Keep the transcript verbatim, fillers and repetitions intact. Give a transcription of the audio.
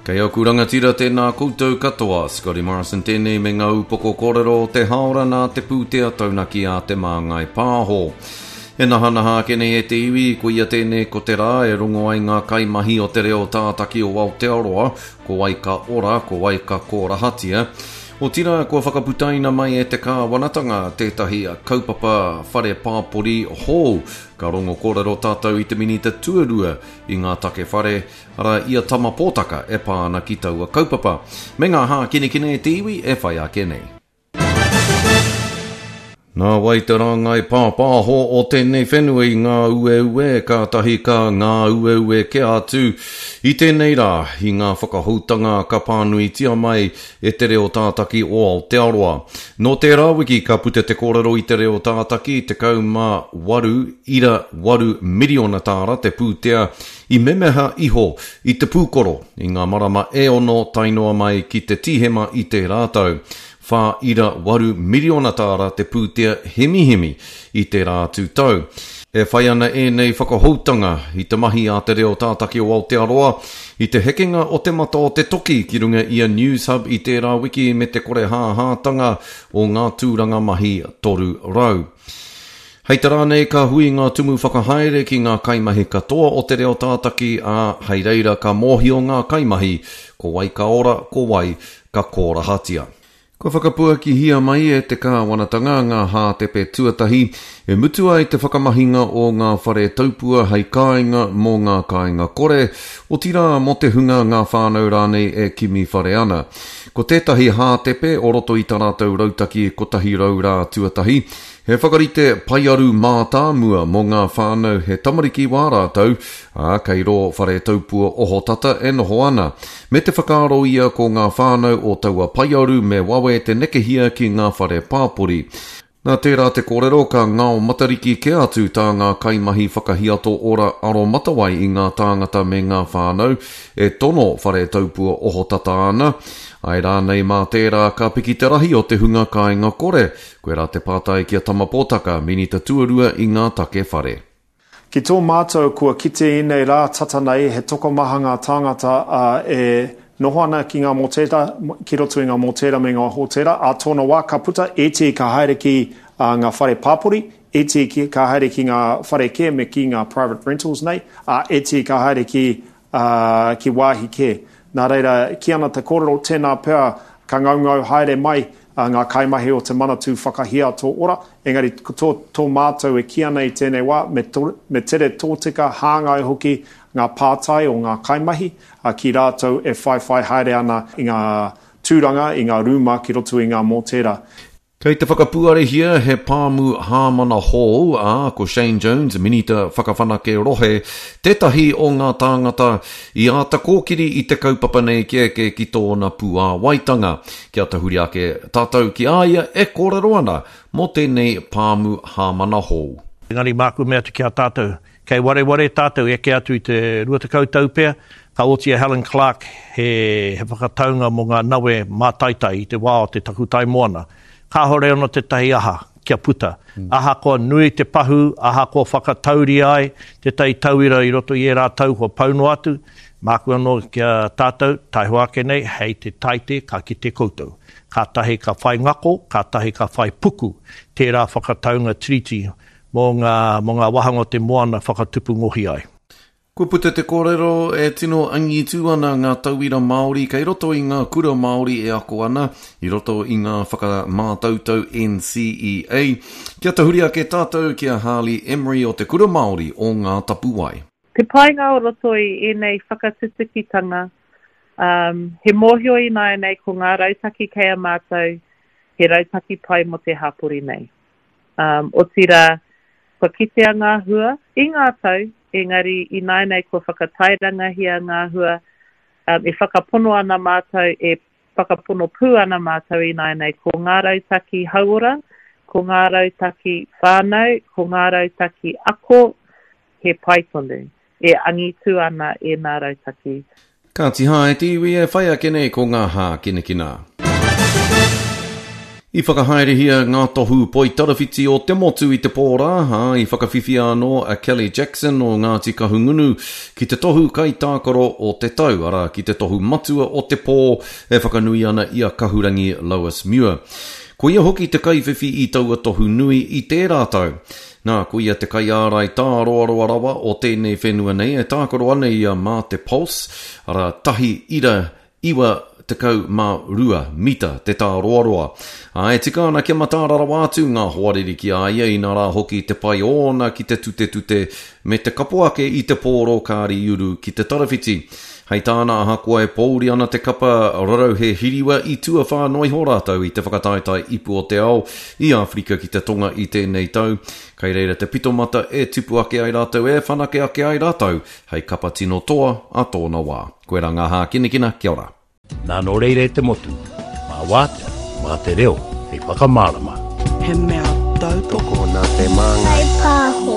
Kei aku rangatira tēnā koutou katoa, Scotty Morrison tēnei me ngā upoko kōrero o te haora nā te pūtea taunaki a Te Māngai Pāho. E nahanaha ake nei e te iwi, ko ia tēnei ko te rā e rongo ai ngā kaimahi o te reo tātaki o Aotearoa, ko wai ka ora, ko wai ka kōrahatia. Otirā, kua whakaputaina mai e te kāwanatanga tētahi kaupapa whare pāpori hou. Ka rongo kōrero tātou i te minita tuarua i ngā take whare, arā i a Tama Pōtaka e pā ana ki taua kaupapa. Me ngā hākinakina e te iwi e whai ake nei. Nā wai te rāngai pāpāho o tēnei whenua i ngā ueue, kātahi ka ngā ueue kē atu i tēnei rā i ngā whakahoutanga ka pānuitia mai e te reo tātaki o Aotearoa. Nō tērā wiki ka puta te kōrero i te reo tātaki tekau mā waru ira waru miriona tāra te pūtea i memeha iho i te pūkoro i ngā marama e ono tae noa mai ki te Tīhema i tērā tau. Whā ira waru miriona tāra te pūtea hemihemi i tērā atu tau. E whai ana ēnei whakahoutanga i te mahi a te reo tātaki o Aotearoa i te hekenga o te mata o te toki ki runga i a Newshub i tērā wiki me te kore hāhātanga o ngā tūranga mahi toru rau. Hei te rā nei ka hui ngā tumu whakahaere ki ngā kaimahi katoa o te reo tātaki, ā, hei reira ka mōhio ngā kaimahi ko wai ka ora, ko wai ka kōrahatia. Kua whakapuakihia mai e te kāwanatanga ngā hātepe tuatahi e mutu ai te whakamahinga o ngā whare taupua hei kāinga mō ngā kāinga kore, otirā mō te hunga ngā whānau rānei e kimi whare ana. Ko tētahi hātepe o roto i tā rātou rautaki kotahi rau rā tuatahi, he whakarite paiaru mātāmua mō ngā whānau he tamariki wā rātou, ā, kei rō whare taupua ohotata e noho ana. Me te whakaaro ia ko ngā whānau o taua paiaru me wawe te nekehia ki ngā whare pāpori. Nā tērā te kōrero ka ngao matariki kē atu tā ngā kaimahi whakahiato ora aromatawai i ngā tāngata me ngā whānau e tono whare taupua ohotata ana. Ai rānei mā tērā ka piki te rahi o te hunga kāinga kore. Koirā te pātai ki a Tama Pōtaka, minita tuarua i ngā take whare. Ki tō mātou kua kite ēnei rā tata nei he tokomaha ngā tāngata e noho ana ki ngā mōtēra, ki roto i ngā mōtēra me ngā hōtēra, ā tōna wā ka puta, ētehi ka haere ki ngā whare pāpori, ētehi ka haere ki ngā whare kē me ki ngā private rentals nei, ā, ētehi ka haere ki, ki wāhi kē. Nā reira, kī ana te kōrero, tēnā pea ka ngaungau haere mai ngā kaimahi o te Manatū Whakahiato Ora, engari ko tō, tō mātou e kī ana i tēnei wā, me, to, me tere tōtika hāngai hoki ngā pātai o ngā kaimahi ki rātou e whaiwhai haere ana i ngā tūranga, i ngā rūma ki roto i ngā mōtēra. Kei te whakapuarehia he pāmu hāmana hou, ā, ko Shane Jones, Minita Whakawhanake Rohe, tētahi o ngā tāngata i āta kōkiri i te kaupapa nei kia eke ki tōna puāwaitanga. Kia tahuri ake tātou ki a ia e kōrero ana mō tēnei pāmu hāmana hou. Engari māku mea atu ki a tātou, kei wareware tātou eke atu i te rua tekau tau pea, ka oti a Helen Clark he, he whakataunga mō ngā nawe mātaitai i te wā o te takutai moana. Kāhore ana tētahi aha kia puta. Ahakoa nui te pahu, ahakoa whakatauria ai tētahi tauira i roto i ērā tau kua pau noa atu, māku anō ki a tātou, taihoa ake nei, hei te taite ka kite koutou. Kātahi ka whai ngako, kātahi ka whai puku tērā whakataunga tiriti mō ngā, mō ngā wāhanga o te moana whakatupu ngohi ai. Kua puta te kōrero e tino angitu ana ngā tauira Māori kei roto i ngā kura Māori e ako ana i roto i ngā whakamātautau N C E A. Kia tahuri ake tātou ki a Harley Emery o te Kura Māori o Ngā Tapuwae. Te painga o roto i ēnei whakatutukitanga, um, he mōhio ināianei ko ngā rautaki kei a mātou, he rautaki pai mō te hapori nei. Um, otirā, kua kitea ngā hua i ngā tau, engari ināianei kua whakatairangahia ngā hua, um, e whakapono ana mātou, e whakapono pū ana mātou ināianei ko ngā rautaki hauora, ko ngā rautaki whānau, ko ngā rautaki ako, he pai tonu, e angitu ana e ngā rautaki. Kāti hae te iwi e whai ake nei ko ngā hākinakina. I whakahaerehia ngā tohu poitarawhiti o te motu i te pō rā, ā, i whakawhiwhia anō a Kelly Jackson o Ngāti Kahungunu ki te tohu kaitākaro o te tau, arā, ki te tohu matua o te pō e whakanui ana i a Kahurangi Lois Muir. Ko ia hoki te kaiwhiwhi i taua tohu nui i tērā tau. Nā, ko ia te kaiārai tāroaroa rawa o tēnei whenua nei e tākaro ana ia mā te Pulse, arā, tahi ira iwa tekau mā rua mita te tāroaroa. Ā, e tika ana kia mataara rawa atu ngā hoariri ki a ia, inā rā hoki te pai ōna ki te tutetute me te kapo ake i te pōro kāri uru ki te tarawhiti. Hei tāna ahakoa e pōuri ana te kapa rarauhe hiriwa i tuawhā noa iho rātou i te whakataetae ipu o te ao i Āwherika ki te Tonga i tēnei tau, kei reira te pitomata e tipu ake ai rātou e whanake ake ai rātou hei kapa tino toa a tōna wā. Koirā ngā hākinakina, kia ora. Nā nō reira e te motu, mā wātea, mā te reo, hei whakamārama. He mea tautoko nā te māngai. Pāho.